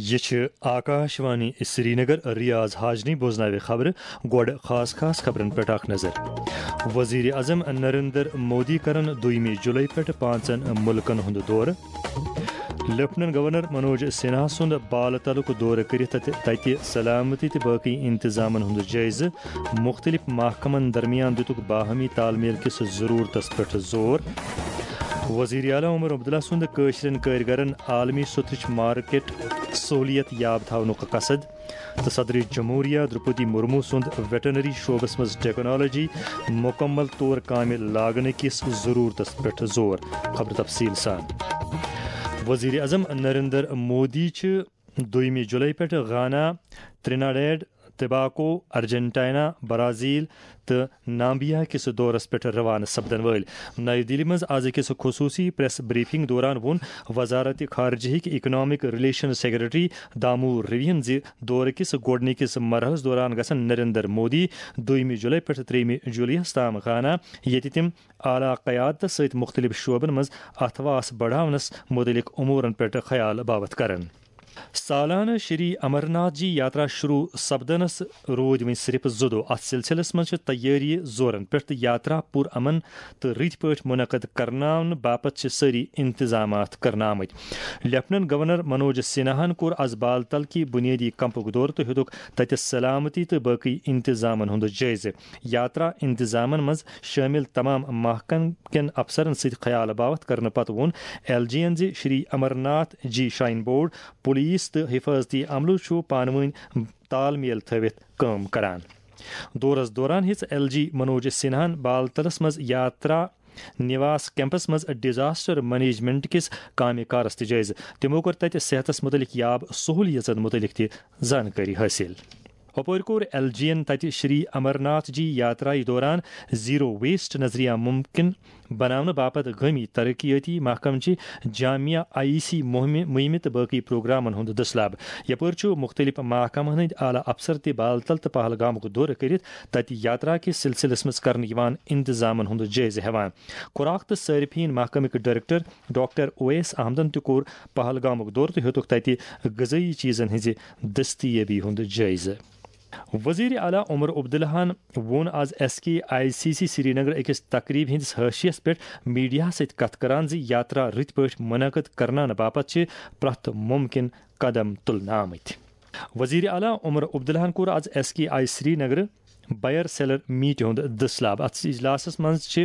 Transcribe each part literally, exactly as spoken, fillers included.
یہِ چھِ آکاش وانی سرینگر۔ ریاض حاجنی بوزناوِ خبرٕ۔ گۄڈٕ خاص خاص خبرن پٮ۪ٹھ اکھ نظر۔ وزیر اعظم نریندر مودی کرن دویمہِ جولائی پٮ۪ٹھ پانٛژن مُلکن ہُنٛد دورٕ۔ لیفٹیننٹ گورنر منوج سنہا سُنٛد بالہٕ تلُک دورٕ کٔرِتھ تتہِ، تتہِ سلامتی تہٕ باقی انتظامن ہُنٛد جٲیزٕ۔ مُختٔلِف محکمن درمیان دِتُکھ باہمی تال میل کِس ضروٗرتس پٮ۪ٹھ زور۔ وزیر اعلیٰ عمر عبداللہ سُنٛد کٲشرٮ۪ن کٲرۍ گرن عالمی سوٚتھٕچ مارکیٹ سہوٗلیت یاب تھاونُک قصد۔ تہٕ صدر جمہوریہ درپدی مرمو سُنٛد ویٹرنری شعبس منٛز ٹیکنالوجی مکمل طور کامہِ لاگنہٕ کِس ضروٗرتس پٮ۪ٹھ زور۔ خبر تفصیل سان۔ وزیر اعظم نریندر مودی چھِ دویمہِ جولائی پٮ۪ٹھ گانا، تریناڈیڈ، ٹباکو، ارجنٹائنا، برازیل تہٕ نامبیا کِس دورس پٮ۪ٹھ روانہٕ سپدن وٲلۍ۔ نئی دہلی منٛز از أکِس خصوٗصی پریس بریفنگ دوران ووٚن وزارت خارجہ ہٕکۍ اکنامک ریلیشن سیکرٹری دامو رویَن زِ دورٕ کِس گۄڈٕنِکِس مرحلس دوران گژھن نریندر مودی دویمہِ جولائی پٮ۪ٹھ ترٛیٚیمہِ جولائی یَس تام گانا، ییٚتہِ تِم اعلیٰ قیادتس سۭتۍ مُختٔلِف شعبن منٛز اتھواس بڑاونس مُتعلق امورن پٮ۪ٹھ خیال باوتھ کرن۔ سالانہٕ شری امرناتھ جی یاترا شروع سپدنس روٗدۍ وۄنۍ صرف زٕ دۄہ۔ اتھ سلسلس منٛز چھِ تیٲری زورن پٮ۪ٹھ تہٕ یاترا پُر امن تہٕ رٕتۍ پٲٹھۍ منعقد کرناونہٕ باپتھ چھِ سٲری انتظامات کرنہٕ آمٕتۍ۔ لیفٹیننٹ گورنر منوج سنہاہن کوٚر از بالتل کہِ بنیٲدی کمپُک دورٕ تہٕ ہیوٚتُکھ تتہِ سلامتی تہٕ باقی انتظامن ہُنٛد جٲیزٕ۔ یاترا انتظامن منٛز شٲمِل تمام محکمہٕ کٮ۪ن افسرن سۭتۍ خیال باوتھ کرنہٕ پتہٕ ووٚن ایل جی ین زِ شری امرناتھ جی شراین بورڈ، پولیس تہٕ حفاظتی عملہٕ چھُ پانہٕ وٲنۍ تال میل تھٲوِتھ کٲم کران۔ دورس دوران ہیٚژ ایل جی منوج سنہاہن بالتلس منٛز یاترا نواس کیمپس منٛز ڈیزاسٹر مینجمنٹ کِس کامہِ کارس تہِ جٲیزٕ۔ تِمو کوٚر تتہِ صحتس مُتعلق یاب سہولیژن مُتعلق تہِ زانکٲری حٲصِل۔ ہُپٲرۍ کوٚر ایل جی ین تتہِ شری امرناتھ جی یاترایہِ دوران زیرو ویسٹ نظریہ ممکن بناونہٕ باپتھ گٲمی ترقیٲتی محکمہٕ چہِ جامع آئی سی مُہمہِ، مُہمہِ تہٕ باقی پروگرامن ہُنٛد دٔسلاب۔ یپٲرۍ چھُ مُختٔلِف محکمن ہٕنٛدۍ اعلیٰ افسر تہِ بالتل تہٕ پہلگامُک دورٕ کٔرِتھ تتہِ یاترا کِس سلسلس منٛز کرنہٕ یِوان انتظامن ہُنٛد جٲیزٕ ہٮ۪وان۔ خوراک تہٕ صارفین محکمٕکۍ ڈائریکٹر ڈاکٹر اویس احمدن تہِ کوٚر پہلگامُک دورٕ تہٕ ہیوٚتُکھ تتہِ غذٲیی چیزن ہٕنٛزِ دستیٲبی ہُنٛد جٲیزٕ۔ وزیر اعلیٰ عمر عبداللہن ووٚن از S K I C C Srinagar أکِس تقریب ہٕنٛدِس حاشیس پٮ۪ٹھ میڈیاہس سۭتۍ کتھ کران زِ یاترا رٕتۍ پٲٹھۍ منعقد کرناونہٕ باپتھ چھِ پرٛٮ۪تھ ممکن قدم تُلنہٕ آمٕتۍ۔ وزیر اعلیٰ عمر عبداللہن کوٚر از S K I Srinagar buyer seller meet ہُنٛد دٔسلاب۔ اتھ اجلاسس منٛز چھِ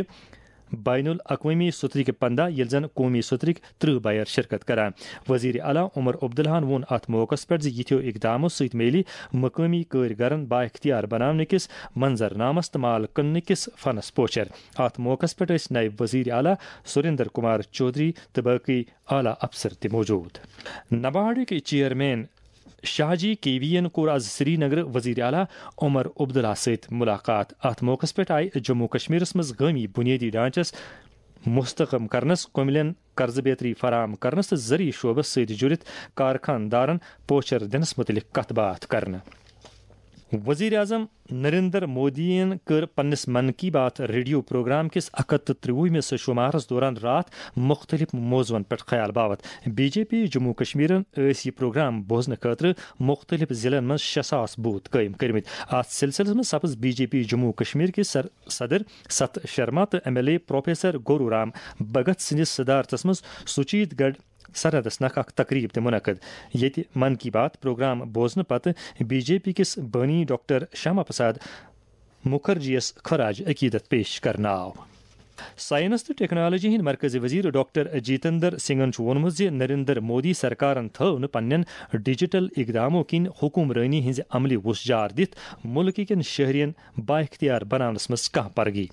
بین الاقوٲمی سوٚترٕکۍ پنٛداہ، ییٚلہِ زن قومی سوٚترٕکۍ ترٕٛہ بائر شرکت کران۔ وزیر اعلیٰ عمر عبداللہن ووٚن اتھ موقعس پٮ۪ٹھ زِ یِتھیو اقدامو سۭتۍ میلہِ مقٲمی کٲرۍ گرن بااختیار بناونہٕ کِس منظرنامس تہٕ مال کٕننہٕ کِس فنس پوچھر۔ اتھ موقعس پٮ۪ٹھ ٲسۍ نائب وزیر اعلیٰ سریندر کمار چودھری تہٕ باقی اعلیٰ افسر تہِ موجود۔ نباڑٕکۍ چیئرمین شاہ جی کے وی ین کوٚر از سرینگر وزیر اعلیٰ عمر عبداللہ سۭتۍ ملاقات۔ اتھ موقعس پٮ۪ٹھ آیہِ جموں کشمیرس منٛز گٲمی بنیٲدی ڈھانچس مستحکم کرنس، کملین قرضہٕ بیتری فراہم کرنس تہٕ زرعی شعبس سۭتۍ جُڑِتھ کارخان دارن پوچھر دِنس متعلق کتھ باتھ کرنہٕ۔ وزیر اعظم نریندر مودی ین کٔر پننِس من کی بات ریڈیو پروگرام کِس اکھ ہتھ تہٕ ترٛوُہمِس شمارس دوران راتھ مُختٔلِف موضوعن پٮ۪ٹھ خیال باوتھ۔ بی جے پی جموں کشمیرن ٲسۍ یہِ پروگرام بوزنہٕ خٲطرٕ مُختٔلِف ضلعن منٛز شےٚ ساس بوتھ قٲیِم کٔرمٕتۍ۔ اتھ سلسلس منٛز سپٕز B J P Jammu Kashmir کِس سر-، صدر ستھ شرما تہٕ M L A professor Gaurav Ram Bhagat سٕنٛدِس صدارتس منٛز سچیت گڑھ سرحدس نکھ اکھ تقریب تہِ منعقد، ییٚتہِ من کی بات پروگرام بوزنہٕ پتہٕ بی جے پی کِس بٲنی ڈاکٹر شیاما پرساد مکھرجی یَس خراج عقیدت پیش کرنہٕ آو۔ سائنس تہٕ ٹیکنالوجی ہٕنٛدۍ مرکزی وزیر ڈاکٹر جیتندر سنگھن چھُ ووٚنمُت زِ نریندر مودی سرکارن تھٲو نہٕ پننٮ۪ن ڈیجیٹل اقدامو کِنۍ حکمرٲنی ہٕنٛزِ عملہِ وُژھ جار دِتھ مُلکہٕ کٮ۪ن شہرین بااختیار بناونس منٛز کانٛہہ پرگی۔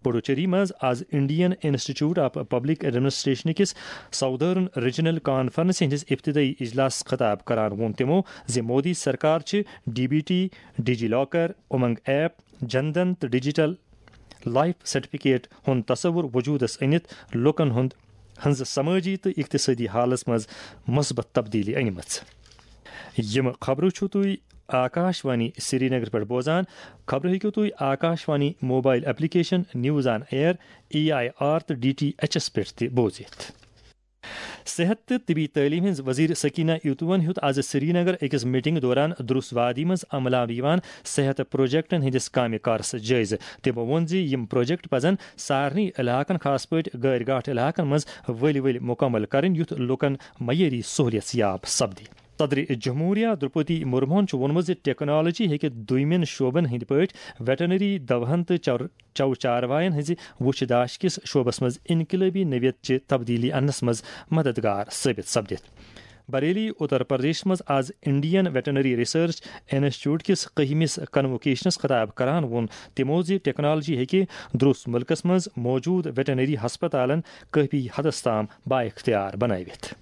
پڈوچیری منٛز از Indian institute of public administration کِس ساؤدرن ریجنل کانفرنس ہٕنٛدِس ابتدٲئی اجلاسس خطاب کران ووٚن تِمو زِ مودی سرکار چھِ D B T, DigiLocker, Umang app, Jan Dhan تہٕ ڈیجیٹل لائف سرٹیفکیٹ ہُنٛد تصور وجودس أنِتھ لوٗکن ہُنٛد، ہٕنٛز سمٲجی تہٕ اقتصٲدی حالس منٛز مثبت تبدیلی أنمٕژ۔ یِم خبرٕ چھِو تُہۍ آکاش وانی سرینگر پٮ۪ٹھ بوزان۔ خبرٕ ہیٚکِو تُہۍ Akashvani mobile application, news on air, A I R تہٕ ڈی ٹی ایچ ایس پٮ۪ٹھ تہِ بوٗزِتھ۔ صحت تہٕ طبی تعلیٖم ہٕنٛز وزیر سکینہ ایوتوَن ہیوٚت آز سرینگر أکِس میٹنگ دوران دروس وادی منٛز عملہ یِوان صحت پروجیکٹن ہٕنٛدِس کامہِ کارس جٲیزٕ۔ تٔمۍ ووٚن زِ یِم پروجیکٹ پزن سارنٕے علاقن، خاص پٲٹھۍ غٲرۍ گاٹھ علاقن منٛز ؤلۍ ؤلۍ مکمل کرٕنۍ، یُتھ لوٗکن معیٲری سہولیژ یاب سپدِ۔ صدر جمہوریہ درپتی مرموہن چھُ ووٚنمُت زِ ٹیکنالوجی ہیٚکہِ دویمٮ۪ن شعبن ہٕنٛدۍ پٲٹھۍ ویٹرنری دوہن تہٕ چر چو چاروایَن ہٕنٛزِ وُچھ داش کِس شعبس منٛز انقلٲبی نوعیت چہِ تبدیلی اننس منٛز مددگار ثٲبت سپدِتھ۔ بریلی، اتر پردیشس منٛز آز انڈین ویٹرنری ریسرچ انسٹیٹیوٹ کِس کٔہمِس کنووکیشنس خطاب کران ووٚن تِمو زِ ٹیکنالوجی ہیٚکہِ درٛوس مُلکس منٛز موجود ویٹرنری ہسپتالن کٲفی حدس تام بااختیار بنٲوِتھ۔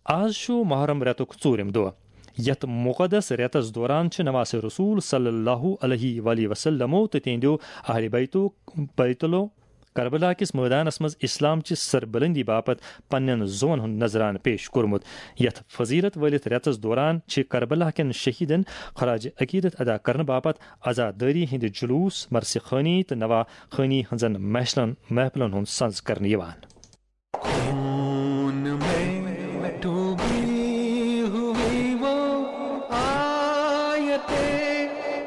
آز چھُ محرم رٮ۪تُک ژوٗرِم دۄہ۔ یتھ مقدس رٮ۪تس دوران چھِ نواسِ رسول صلی اللہ علیہ وآلہ وسلمو تہٕ تِہنٛدیو اہلِ بیتو، بیتلو کربلا کِس مٲدانس منٛز اسلام چہِ سربلندی باپتھ پننٮ۪ن زُوَن ہُنٛد نذرانہٕ پیش کوٚرمُت۔ یتھ فضیلت وٲلِتھ رٮ۪تس دوران چھِ کربلا کٮ۪ن شہیدن خراج عقیدت ادا کرنہٕ باپتھ عزادٲری ہٕنٛدِ جلوس، مرثی خوانی تہٕ نواخوانی ہٕنٛزن محفلن، محفلن ہُنٛد سنز کرنہٕ یِوان۔ خون میں ڈوبی ہوئی وہ آیت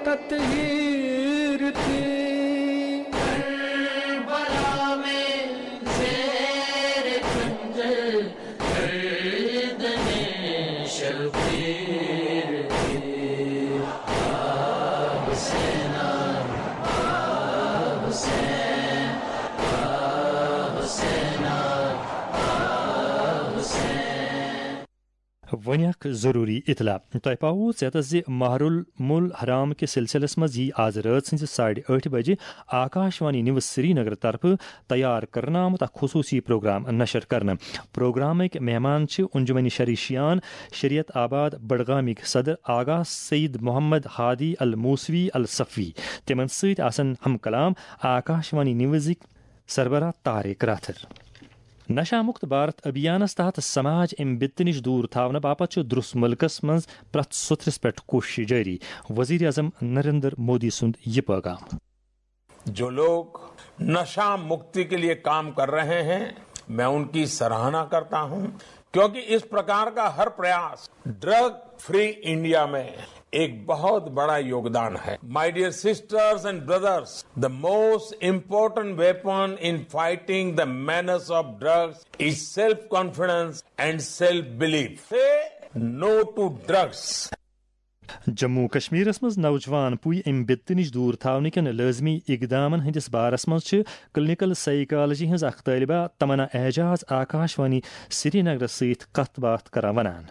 تطہیر تھی۔ کربلا میں زیر خنجر گردن شبیر تھی۔ آ حسینا، آ حسین، آ حسینا، آ حسین۔ وۄنۍ اکھ ضروٗری اطلاع۔ تۄہہِ پاوو ژیتس زِ ماہ المول حرام کِس سلسلس منٛز یی آز رٲژ ہٕنٛزِ ساڑِ ٲٹھِ بجہِ آکاش وانی نیوز سرینگر طرفہٕ تیار کرنہٕ آمُت اکھ خصوٗصی پروگرام نشر کرنہٕ۔ پروگرامٕکۍ مہمان چھِ انجمن شریشیان، شریعت آباد بڈگامٕکۍ صدر آغا سید محمد ہادی الموسوی الصفوی۔ تِمن سۭتۍ آسن ہم کلام آکاش وانی نیوزٕکۍ سربراہ طارق راتھر۔ نشہ مکت بھارت ابھیانس تحت سماج امہِ بِتہٕ نِش دوٗر تھاونہٕ باپتھ چھُ درُس مُلکس منٛز پرٛٮ۪تھ سوٚتھرِس پٮ۪ٹھ کوٗشش جٲری۔ وزیر اعظم نریندر مودی سُنٛد یہِ پٲغام۔ جو لوگ نشہ مکتی کے لیے کام کر رہے ہیں، میں ان کی سراہنا کرتا ہوں، کیونکہ اس پرکار کا ہر پریاس ڈرگ فری انڈیا میں ایک بہت بڑا یوگدان ہے۔ My dear sisters and brothers, the most important weapon in fighting the menace of drugs is self confidence and self belief. Say no to drugs. Jammu کشمیرس منٛز نوجوان پُے امہِ بِتہٕ نِش دوٗر تھاونہٕ کٮ۪ن لٲزمی اقدامن ہٕنٛدِس بارس منٛز چھِ کلینیکل سائیکالوجی ہٕنٛز اکھ طٲلبہ تمنا اعجاز آکاش وانی سرینگرس سۭتۍ کتھ باتھ کران ونان۔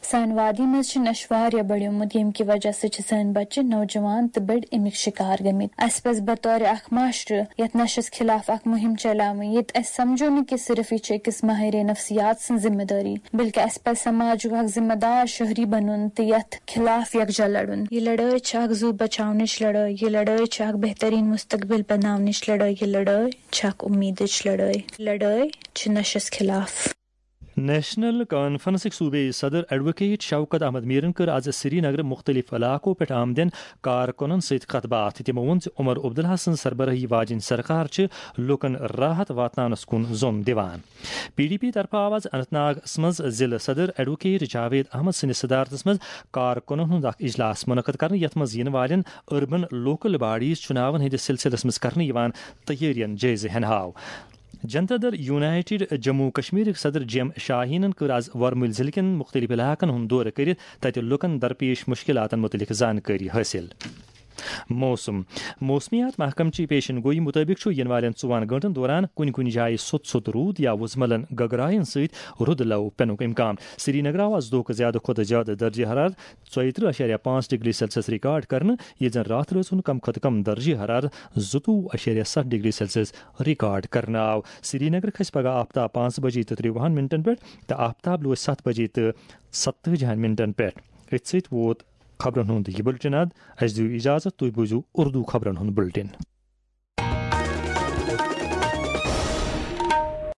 سانہِ وادی منٛز چھُ نشہٕ واریاہ بڑیومُت، ییٚمہِ کہِ وجہ سۭتۍ چھِ سٲنۍ بچہِ، نوجوان تہٕ بٔڑۍ اَمِکۍ شکار گٔمٕتۍ۔ اَسہِ پزِ بطور اکھ معاشرٕ یتھ نشس خلاف اکھ مہم چلاوٕنۍ، ییٚتہِ أسۍ سمجھو نہٕ کہِ صرف یہِ چھِ أکِس ماہرِ نفسیات سٕنٛز ذمہٕ دٲری، بلکہِ اَسہِ پزِ سماجُک اکھ ذمہٕ دار شہری بنُن تہٕ یتھ خلاف یکجا لڑُن۔ یہِ لڑٲے چھِ اکھ زُو بچاونٕچ لڑٲے، یہِ لڑٲے چھِ اکھ بہترین مستقبل بناونٕچ لڑٲے، یہِ لڑٲے چھِ اکھ اُمیدٕچ لڑٲے، یہِ لڑٲے چھِ نشس خلاف۔ نیشنل کانفرنسٕکۍ صوبٲئی صدر ایڈووکیٹ شوکت احمد میرن کٔر آز سرینگرٕ مُختٔلِف علاقو پٮ۪ٹھ آمدٮ۪ن کارکُنن سۭتۍ کتھ باتھ۔ تِمو ووٚن زِ عمر عبداللہ سٕنٛز سربرٲہی واجیٚنۍ سرکار چھِ لوٗکن راحت واتناونس کُن زوٚن دِوان۔ پی ڈی پی طرفہٕ آو آز اننت ناگس منٛز ضلعہٕ صدر ایڈووکیٹ جاوید احمد سٕنٛدِس صدارتس منٛز کارکُنن ہُنٛد اکھ اجلاس منعقد کرنہٕ، یتھ منٛز یِنہٕ والٮ۪ن اربن لوکل باڈیز چُناون ہٕنٛدِس سلسلس منٛز کرنہٕ یِوان تیٲرین جٲیزٕ ہٮ۪نہٕ آو۔ جنتا دل یونائیٹڈ جموں کشمیرٕکۍ صدر جی ایم شاہینن کٔر آز ورمُلۍ ضلعہٕ کٮ۪ن مُختٔلِف علاقن ہُنٛد دورٕ کٔرِتھ تَتہِ لُکن درپیش مُشکِلاتن مُتعلِق زانکٲری حٲصِل۔ موسم۔ موسمیات محکمہٕ چہِ پیشن گوئی مُطٲبِق چھُ یِنہٕ والٮ۪ن ژُوہن گٲنٛٹن دوران کُنہِ کُنہِ جایہِ سوٚت سوٚت روٗد یا وُزملن گگراین سۭتۍ رُدٕ لَو پٮ۪نُک اِمکان۔ سرینگرٕ آو آز دۄہُک زیادٕ کھۄتہٕ زیادٕ درجہ حرارت ژۄیہِ ترٕٛہ اَشاریہ پانٛژھ ڈگری سیلسیس ریکارڈ کرنہٕ، ییٚتہِ زن راتھ رٲژ ہُنٛد کم کھۄتہٕ کم درجہ حرارت زٕتووُہ اَشاریہ ستھ ڈگری سیلسیس ریکارڈ کرنہٕ آو۔ سرینگر کھسہِ پگہہ آفتاب پانٛژھ بجے تہٕ ترٛوُہن منٹن پٮ۪ٹھ تہٕ آفتاب لوسہِ ستھ بجے تہٕ ستتٲجی ہن منٹن پٮ۪ٹھ۔ أتھۍ سۭتۍ ووت خبرن ہُنٛد یہِ بُلٹن اَد۔ اَسہِ دِیِو اِجازت، تُہۍ بوٗزِو اردو خبرن ہُنٛد بُلٹن۔